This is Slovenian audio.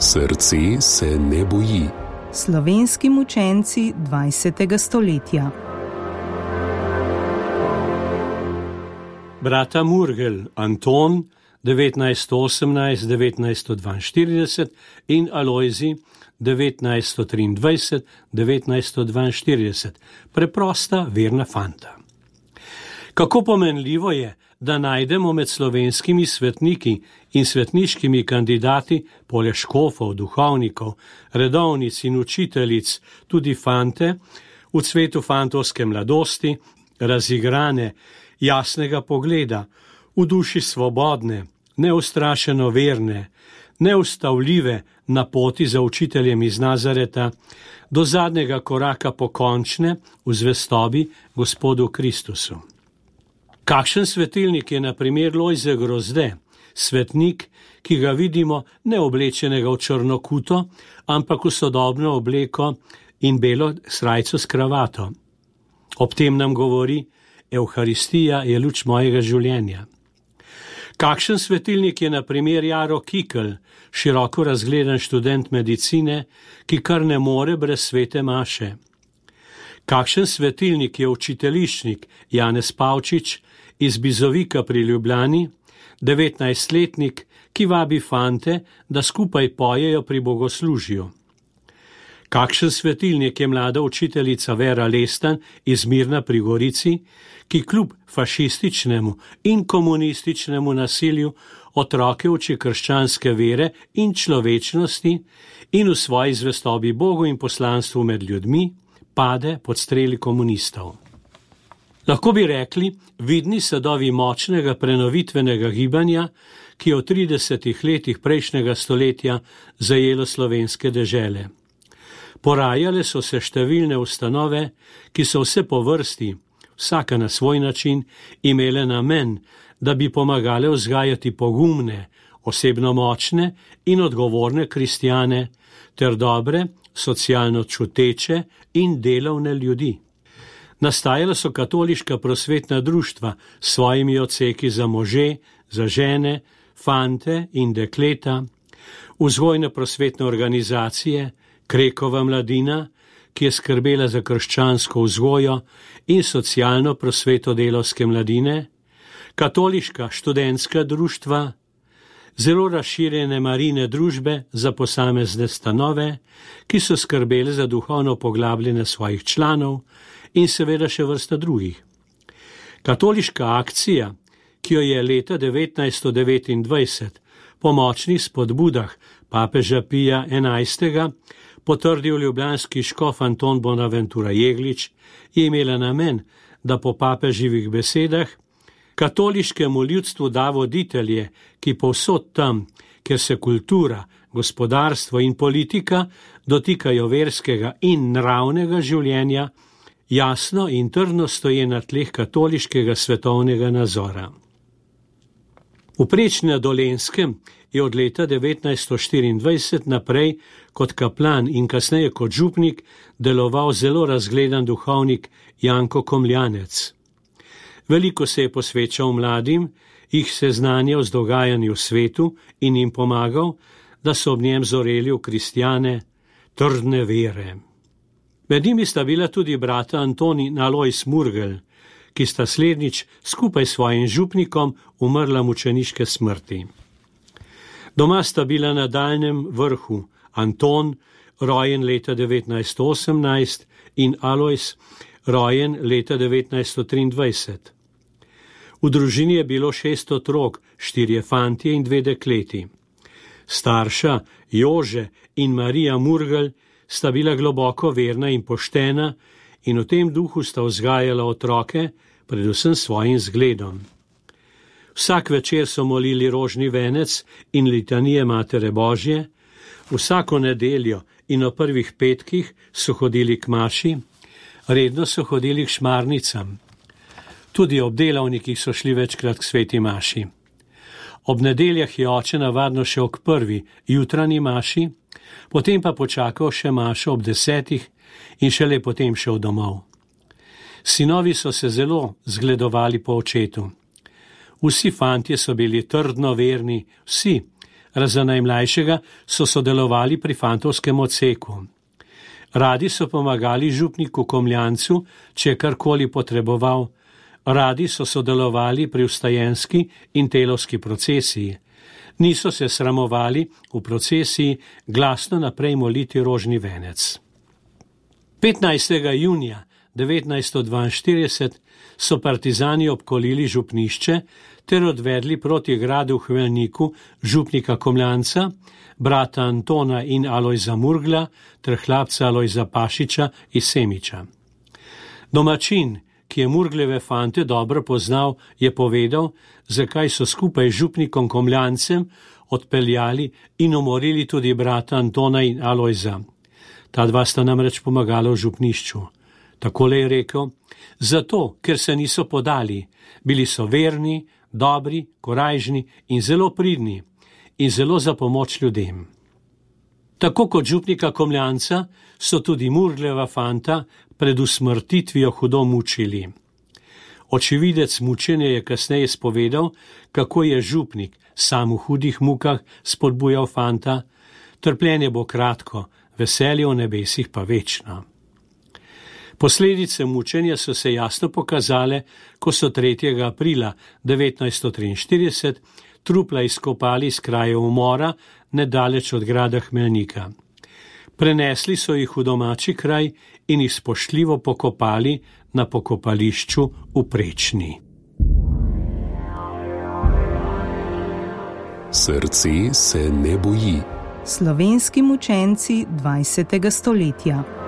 Srce se ne boji. Slovenski mučenci 20. stoletja. Brata Murgel, Anton 1918-1942 in Alojzij 1923-1942, preprosta verna fanta. Kako pomenljivo je, da najdemo med slovenskimi svetniki in svetniškimi kandidati, poleg škofov, duhovnikov, redovnic in učiteljic, tudi fante, v cvetu fantovske mladosti, razigrane, jasnega pogleda, v duši svobodne, neustrašeno verne, neustavljive na poti za učiteljem iz Nazareta, do zadnjega koraka pokončne v zvestobi Gospodu Kristusu. Kakšen svetilnik je na primer Lojze Grozde, svetnik, ki ga vidimo ne oblečenega v črno kuto, ampak v sodobno obleko in belo srajco s kravato. Ob tem nam govori: Evharistija je luč mojega življenja. Kakšen svetilnik je na primer Jaro Kikl, široko razgledan študent medicine, ki kar ne more brez svete maše. Kakšen svetilnik je učiteljišnik Janez Pavčič iz Bizovika pri Ljubljani, 19-letnik, ki vabi fante, da skupaj pojejo pri bogoslužju. Kakšen svetilnik je mlada učiteljica Vera Lestan iz Mirna pri Gorici, ki kljub fašističnemu in komunističnemu nasilju otroke uči krščanske vere in človečnosti in v svoji zvestobi Bogu in poslanstvu med ljudmi pade pod streli komunistov. Lahko bi rekli, vidni sadovi močnega prenovitvenega gibanja, ki je v 30 letih prejšnjega stoletja zajelo slovenske dežele. Porajale so se številne ustanove, ki so vse po vrsti, vsaka na svoj način, imele namen, da bi pomagale vzgajati pogumne, osebno močne in odgovorne kristjane ter dobre, socialno čuteče in delovne ljudi. Nastajala so katoliška prosvetna društva s svojimi odseki za može, za žene, fante in dekleta, vzgojne prosvetne organizacije, Krekova mladina, ki je skrbela za krščansko vzgojo in socialno prosveto delavske mladine, katoliška študentska društva, zelo razširjene marine družbe za posamezne stanove, ki so skrbele za duhovno poglabljanje svojih članov in seveda še vrsta drugih. Katoliška akcija, ki jo je leta 1929 po močnih spodbudah papeža Pija XI. Potrdil ljubljanski škof Anton Bonaventura Jeglič, je imela namen, da po papeživih besedah katoliškemu ljudstvu da voditelje, ki povsod tam, kjer se kultura, gospodarstvo in politika dotikajo verskega in nravnega življenja, jasno in trdno stoje na tleh katoliškega svetovnega nazora. V Prečni na Dolenjskem je od leta 1924 naprej kot kaplan in kasneje kot župnik deloval zelo razgledan duhovnik Janko Komljanec. Veliko se je posvečal mladim, jih seznanjal z dogajanji v svetu in jim pomagal, da so ob njem zoreli v kristjane trdne vere. Med njimi sta bila tudi brata Anton in Alojz Murgel, ki sta slednjič skupaj s svojim župnikom umrla mučeniške smrti. Doma sta bila na daljnem vrhu Anton, rojen leta 1918, in Alojz, rojen leta 1923. V družini je bilo 6 otrok, 4 fantje in 2 dekleti. Starša Jože in Marija Murgel sta bila globoko verna in poštena in v tem duhu sta vzgajala otroke, predvsem svojim zgledom. Vsak večer so molili rožni venec in litanije Matere Božje, vsako nedeljo in o prvih petkih so hodili k maši, redno so hodili k šmarnicam. Tudi ob delavnikih so šli večkrat k sveti maši. Ob nedeljah je oče navadno šel k prvi jutranji maši, potem pa počakal še mašo ob 10 in šele potem šel domov. Sinovi so se zelo zgledovali po očetu. Vsi fantje so bili trdno verni, vsi, razen najmlajšega, so sodelovali pri fantovskem odseku. Radi so pomagali župniku Komljancu, če je karkoli potreboval. Radi so sodelovali pri vstajenski in telovski procesiji. Niso se sramovali v procesiji glasno naprej moliti rožni venec. 15. junija 1942 so partizani obkolili župnišče ter odvedli proti gradu v Hmelniku župnika Komljanca, brata Antona in Alojza Murgla ter hlapca Alojza Pašiča iz Semiča. Domačin, ki je Murgleve fante dobro poznal, je povedal, zakaj so skupaj z župnikom Komljancem odpeljali in umorili tudi brata Antona in Alojza. Ta dva sta namreč pomagala v župnišču. Takole je rekel: zato, ker se niso podali, bili so verni, dobri, korajžni in zelo pridni in zelo za pomoč ljudem. Tako kot župnika Komljanca so tudi Murgleva fanta pred usmrtitvijo hudo mučili. Očividec mučenja je kasneje spovedal, kako je župnik sam v hudih mukah spodbujal fanta: trpljenje bo kratko, veselje v nebesih pa večno. Posledice mučenja so se jasno pokazale, ko so 3. aprila 1943 trupla izkopali iz kraja umora nedaleč od grada Hmelnika. Prenesli so jih v domači kraj in jih spoštljivo pokopali na pokopališču v Prečni. Srce se ne boji. Slovenski mučenci 20. stoletja.